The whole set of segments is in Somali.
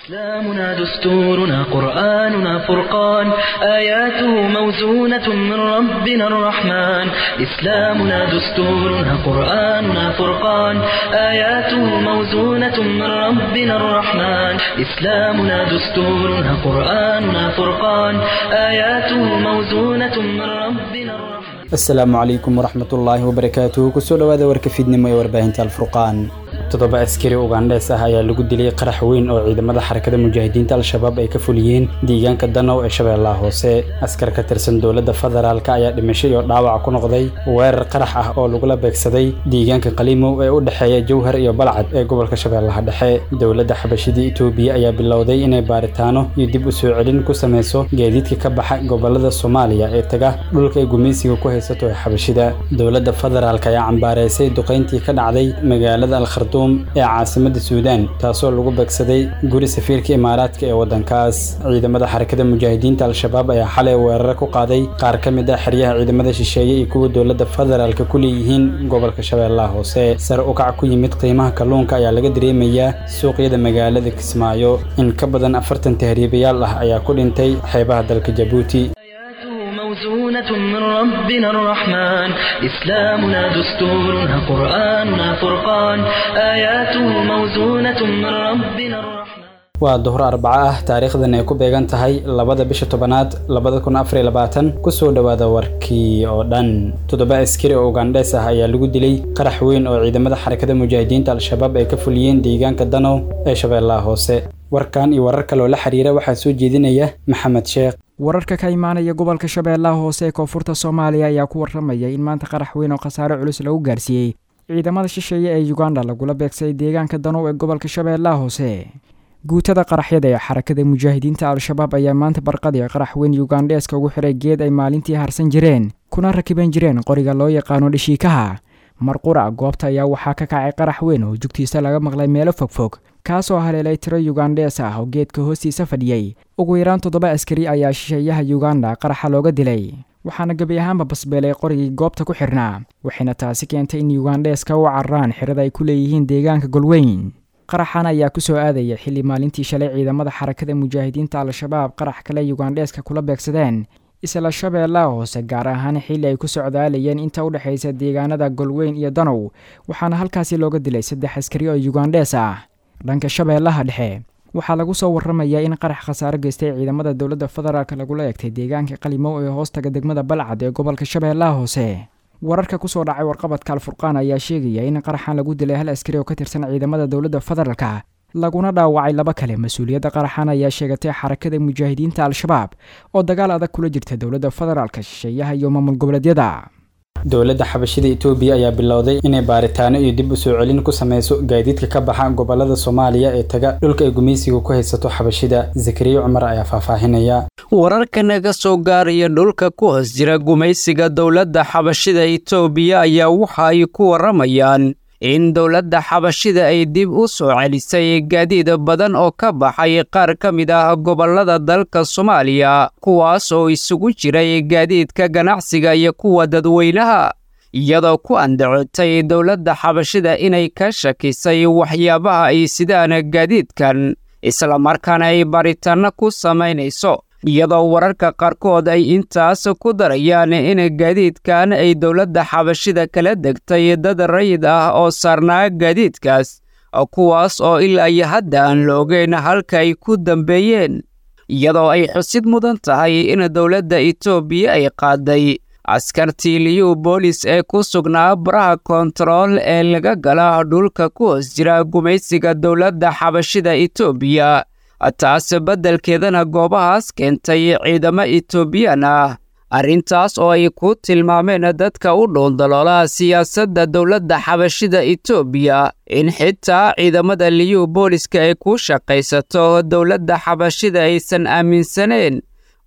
إسلامنا دستورنا قرآننا فرقان، آياته موزونة من ربنا الرحمن. إسلامنا دستورنا قرآننا فرقان، آياته موزونة من ربنا الرحمن. إسلامنا دستورنا قرآننا فرقان، آياته موزونة من ربنا الرحمن. Asalaamu calaykum waraxmatullaahi wabarakaatuhu. Kusoo dhowaada warka fiidnimo ee warbaahinta Alfurqaan. 7 askari Ugandhees ah ayaa lagu dilay qarax weyn oo ciidamada Xarakada Mujaahidiinta Al-Shabaab ay ka fuliyeen deegaanka Danow ee Shabeellaha Hoose. Askar ka tirsan dowladda federaalka ayaa dhimasho iyo dhaawac ku noqday weerar qarax ah oo lagula beegsaday deegaanka Qalimow ee u dhexeeya Jowhar iyo Balcad ee gobolka Shabeellaha Dhexe. Dowladda Xabashida Itoobiya ayaa bilowday inay baaritaano iyo dib u soo celin ku sameyso gaadiidka ka baxa gobolada Soomaaliya ee taga dhulka ay gumaysiga ku haysato ee Xabashida. Dowladda federaalka ayaa cambaareysay duqeyntii ka dhacday magaalada Al Khartoum ee caasimadda Suudaan, taasoo lagu beegsaday guri safiirka Imaaraadka ee waddankaas. Ciidamada Xarakada Mujaahidiinta Al-Shabaab ayaa xalay weeraro ku qaaday qaar ka mid ah xeryaha ciidamada shisheeye iyo kuwa dowladda federaalka ku leeyihiin gobolka Shabeellaha Hoose. Sare u kac ku yimid qiimaha kalluunka ayaa laga dareemayaa suuqyada magaalada Kismaayo. In ka badan 40 tahriibayaal ah ayaa ku dhintay xeebaha dalka Jabuuti. آياته موزونة من ربنا الرحمن، إسلامنا دستورنا قرآننا فرقان، آياته موزونة من ربنا الرحمن. Waa duhur Arbaco ah, taariikhdan ay ku beegan tahay 2-da bisha 10aad 2024. Kusoo dhowaada warkii oo dhan. 7 askari oo Ugandhees ah ayaa lagu dilay qarax weyn oo ciidamada Xarakada Mujaahidiinta Al-Shabaab ay ka fuliyeen deegaanka Danow ee Shabeellaha Hoose. Warkan iyo warar kaloo la xiriira waxaa soo jeedinaya Maxamed Sheekh. Wararka ka imaanaya gobolka Shabeellaha Hoose ee koonfurta Soomaaliya ayaa ku warramaya in maanta qarax weyn oo khasaare culus lagu gaarsiiyey ciidamada shisheeye ee Uganda lagula beegsaday deegaanka Danow ee gobolka Shabeellaha Hoose. Guutada qaraxyada ee Xarakada Mujaahidiinta Al-Shabaab ayaa maanta barqadii qarax weyn Yugandheeska ugu xiray geed ay maalintii harsan jireen kuna rakiban jireen qoriga loo yaqaano dhashiikaha. Marqura goobta ayaa waxaa ka kacay qarax weyn oo jugtiisa laga maqlay meelo fogfog, kaasoo haleelay tiro Yugandhees ah oo geedka hoostiisa fadhiyey. Ugu yaraan 7 askari ayaa shisheeyaha Yuganda qaraxa looga dilay, waxaana gebi ahaanba basbeelay qorigii goobta ku xirnaa, waxayna taasi keentay in Yugandheeska u cararaan xirada ay ku leeyihiin deegaanka Golweyn. Qaraxan ayaa kusoo aadaya xilli maalintii shalay ciidamada Xarakada Mujaahidiinta Al-Shabaab qarax kale Yugandheeska kula beegsadeen isla Shabeellaha Hoose, gaar ahaan xilli ay ku socdaalayeen inta u dhexaysa deegaanada Golweyn iyo Danow, waxaana halkaasi looga dilay 3 askari oo Yugandhees ah. Dhanka Shabeellaha Dhexe waxaa lagu soo warramayaa in qarax khasaaro geystay ciidamada dowladda federaalk lagula eegtay deegaanka Qalimow ee hoostaga degmada Balcad ee gobolka Shabeellaha Hoose. Wararka kusoo dhacay warqabadka Alfurqaan ayaa sheegaya in qaraxan lagu dilay 1 askari oo ka tirsan ciidamada dowladda federaalka, laguna dhaawacay 2 kale. Mas-uuliyadda qaraxan ayaa sheegatay Xarakada Mujaahidiinta Al-Shabaab oo dagaal adag kula jirta dowladda federaalka, shisheeyaha iyo maamul goboleedyada. Dowladda Xabashida Itoobiya ayaa bilowday inay baaritaano iyo dib u soo celin ku sameyso gaadiidka ka baxa gobolada Soomaaliya ee taga dhulka ay gumaysiga ku haysato Xabashida. Zakariya Cumar ayaa faahfaahinaya. Wararka naga soo gaaraya dhulka ku hoos jira gumaysiga dowladda Xabashida Itoobiya ayaa waxa ay ku warramayaan in dowladda Xabashida ay dib u soo celisay gaadiid badan oo ka baxay qaar ka mid ah gobollada dalka Soomaaliya, kuwaas oo isugu jiray gaadiidka ganacsiga iyo kuwa dadweynaha, iyadoo ku andacotay dowladda Xabashida inay ka shakisay waxyaabaha ay sidaan gaadiidkan, islamarkaana ay baaritaanno ku samaynayso, iyadoo wararka qaarkood ay intaas ku darayaan in gaadiidkan ay dowladda Xabashida kala degtay dad rayid ah oo saarnaa gaadiidkaas, kuwaas oo ilaa iyo hadda aan la ogeyn halka ay ku dambeeyeen. Iyadoo ay xusid mudan tahay in dowladda Itoobiya ay qaaday askartii liyu boolis ee ku sugnaa baraha koontarool ee laga gala dhulka ku hoos jira gumaysiga dowladda Xabashida Itoobiya, taas beddelkeedana goobahaas keentay ciidamo Itoobiyaan ah, arrintaas oo ay ku tilmaameen dadka u dhuuldaloola siyaasadda dowladda Xabashida Itoobiya in xitaa ciidamada liyu booliska ay ku shaqaysato dowladda Xabashida aysan aaminsaneen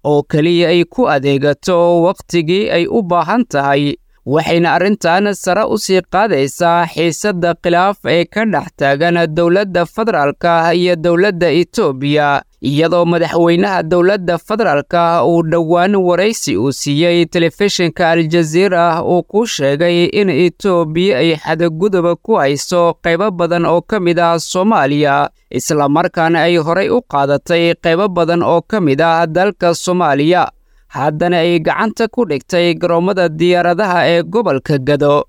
oo keliya ay ku adeegato wakhtigii ay u baahan tahay. Waxayna arrintan sare u sii qaadaysaa xiisadda khilaaf ee ka dhex taagan dowladda federaalka iyo dowladda Itoobiya, Iyadoo madaxweynaha dowladda federaalka uu dhowaan waraysi uu siiyey telefishinka Aljaziira uu ku sheegay in Itoobiya ay xadguduba ku hayso qaybo badan oo ka mid ah Soomaaliya, islamarkaana ay horay u qaadatay qaybo badan oo ka mid ah dalka Soomaaliya, haddana ay gacanta ku dhigtay garoommada diyaaradaha ee gobolka Gado.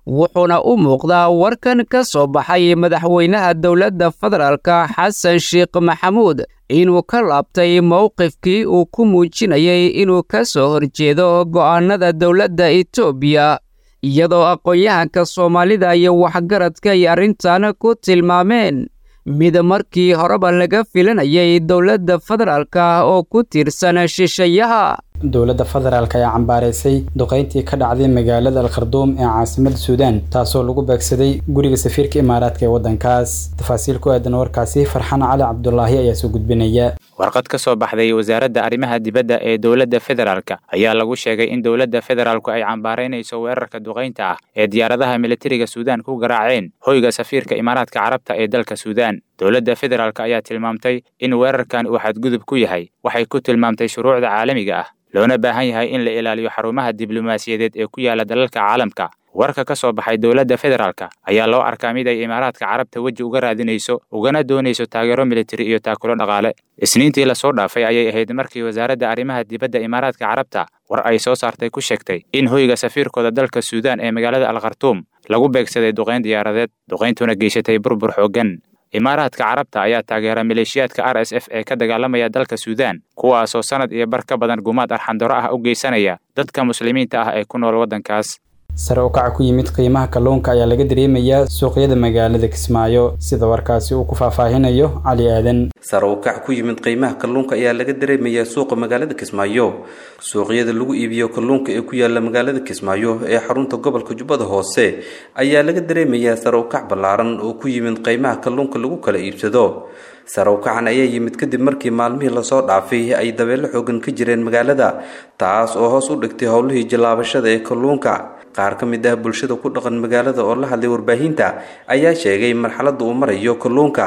Wuxuuna u muuqdaa warkan ka soo baxay madaxweynaha dowladda federaalka Xasan Sheekh Maxamuud inuu ka laabtay mowqifkii uu ku muujinayay inuu ka soo horjeedo go'aanada dowladda Itoobiya, iyadoo aqoon-yahanka Soomaalida iyo waxgaradka ay arrintan ku tilmaameen mid markii horeba laga filanayay dowladda federaalka oo ku tiirsan shisheeyaha. Dowladda federaalk ayaa cambaareysay duqeyntii ka dhacday magaalada Al-Kharduum ee caasimadda Suudaan, taasoo lagu beegsaday guriga safiirka Imaaraadka ee waddankaas. Tafaasiil ku aadan warkaasi Farxaan Cali Cabdulaahi ayaa soo gudbinaya. Warqad ka soo baxday wasaaradda arrimaha dibadda ee dowladda federaalka ayaa lagu sheegay in dowladda federaalku ay cambaaraynayso weerarka duqeynta ah ee diyaaradaha militariga Suudaan ku garaaceen hoyga safiirka Imaaraadka Carabta ee dalka Suudaan. Dowladda federaalka ayaa tilmaamtay in weerarkan uu xadgudub ku yahay waxay ku tilmaamtay shuruucda caalamiga ah, loona baahan yahay in la ilaaliyo xarumaha diblomaasiyadeed ee ku yaala dalalka caalamka. Warka ka soo baxay dowladda federaalka ayaa loo arkaa mid ay Imaaraadka Carabta weji uga raadinayso ugana doonayso taageero militari iyo taakulo dhaqaale. Isniintii lasoo dhaafay ayay ahayd markii wasaaradda arrimaha dibadda Imaaraadka Carabta war ay soo saartay ku sheegtay in hoyga safiirkooda dalka Suudaan ee magaalada Al-Khartuum lagu beegsaday duqeyn diyaaradeed, duqeyntuna geysatay burbur xooggan. Imaaraadka Carabta ayaa taageera maleeshiyaadka RSF ee ka dagaalamaya dalka Suudaan, kuwaasoo sanad iyo bar ka badan gumaad arxandaro ah u geysanaya dadka muslimiinta ah ee ku nool waddankaas. Sare u kaca ku yimid qiimaha kalluunka ayaa laga dareemayaa suuqyada magaalada Kismaayo, sida warkaasi uu ku faahfaahinayo Cali Aadan. Sare u kac ku yimid qiimaha kalluunka ayaa laga dareemayaa suuqa magaalada Kismaayo. Suuqyada lagu iibiyo kalluunka ee ku yaala magaalada Kismaayo ee xarunta gobolka Jubbada Hoose ayaa laga dareemayaa sare u kac ballaaran oo ku yimid qiimaha kalluunka lagu kala iibsado. Sare u kacan ayaa yimid kadib markii maalmihii lasoo dhaafay ay dabeelo xoogan ka jireen magaalada, taas oo hoos u dhigtay howlihii jilaabashada ee kalluunka. Qaar ka mid ah bulshada ku dhaqan magaalada oo la hadlay warbaahinta ayaa sheegay marxaladda uu marayo kalluunka.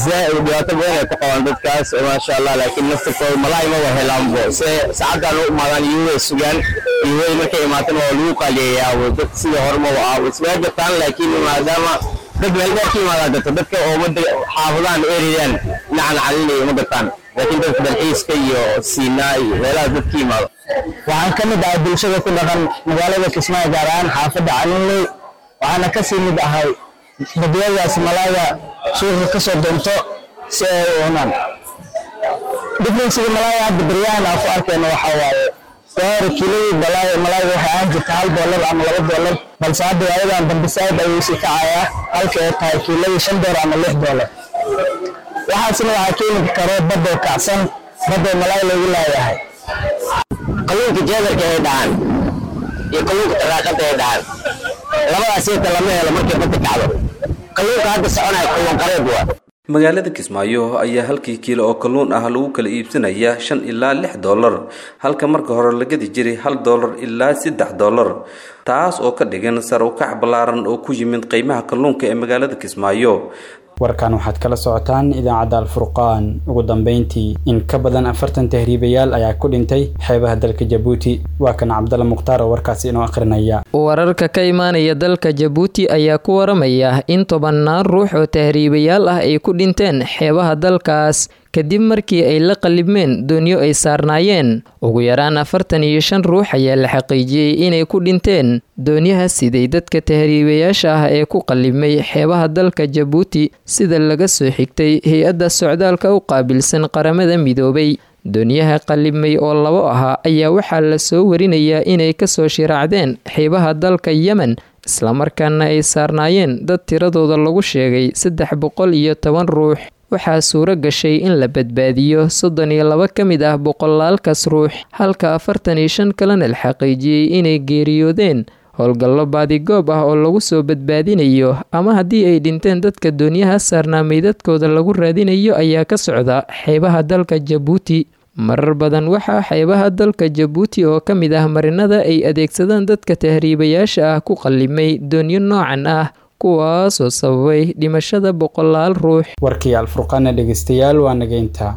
Zaaid dhibaato badan ay ku qabaan dadkaas, maasha Allah, laakiin naftirkooda malaay ma helaanbo se saacaddan u imaadaan iyagoo sugaan iyagoo markay imaatana waa lagu qaaliyeeyaa dad sida hore ma ah ismaa gataan, laakiin maadaama dad meel dheer ka imaadaa jirto dadka oo mada xaafadahan ereyaan dhinacan calinaya ma gataan, laakiin dadka dalxiiska iyo Siinaa iyo meelahaas dadka imaado. Waxaan ka mid ahay bulshada ku dhaqan magaalada Kismaayo, gaar ahaan xaafadda Calinley, waxaana kasii mid ahay badyadaas malaayga suuqa ka soo doonto si ay u cunaan. Differencega malaayga hadda baryahan aan ku arkayno waxaa waaye gaari kiiladii balaaya malaayga waxay ahaan jirta $1 ama $2, balse hadda waayadan dambe saaid ayuu sii kacayaa, halka ay tahay kiiladii $5 ama $6. Waxaasna waxaa keeni karo badoo kacsan, badoo malaay loogu laayahay. Kalluunka jeedarka ay dhacan iyo kalluunka taraaqada ay dhacan labadaas inta lama helo markay badda kacdo. Kalluunka hadda soconaya kalluun qareed waa. Magaalada Kismaayo ayaa halkii kiilo oo kalluun ah lagu kala iibsanaya $5 ilaa $6, halka marka hore la gadi jiray $1 ilaa $3, taas oo ka dhigan sare u kac ballaaran oo ku yimid qiimaha kalluunka ee magaalada Kismaayo. Warkan waxaad kala socotaan idaacadda Alfurqaan. Ugu dambeyntii, in ka badan 40 tahriibayaal ayaa ku dhintay xeebaha dalka Jabuuti. Waa kan Cabdalla Mukhtaar oo warkaasi inoo akhrinaya. Wararka ka imaanaya dalka Jabuuti ayaa ku waramaya in tobannaan ruux oo tahriibayaal ah ay ku dhinteen xeebaha dalkaas kadib markii ay la qalibmeen doonyo ay saarnaayeen. Ugu yaraan 45 ruux ayaa la xaqiijiyey inay ku dhinteen doonyaha siday dadka tahriibayaasha ah ee ku qalibmay xeebaha dalka Jabuuti, sida laga soo xigtay hay-adda socdaalka u qaabilsan Qaramada Midoobay. Doonyaha qalibmay oo labo ahaa ayaa waxaa la soo warinayaa inay kasoo shiraacdeen xeebaha dalka Yemen, islamarkaana ay saarnaayeen dad tiradooda lagu sheegay 310 ruux. Waxaa suuro gashay in la badbaadiyo 32 ka mid ah boqolaalkaas ruux, halka 45 kalena la xaqiijiyey inay geeriyoodeen. Howlgallo baadigoob ah oo lagu soo badbaadinayo ama haddii ay dhinteen dadka doonyaha saarnaa meydadkooda lagu raadinayo ayaa ka socda xeebaha dalka Jabuuti. Marar badan waxaa xeebaha dalka Jabuuti oo ka mid ah marinada ay adeegsadaan dadka tahriibayaasha ah ku qallimay doonyo noocan ah, kuwaasoo sababay dhimashada boqolaal ruux. Warkii Alfurqaana dhegeystayaal waa nageynta.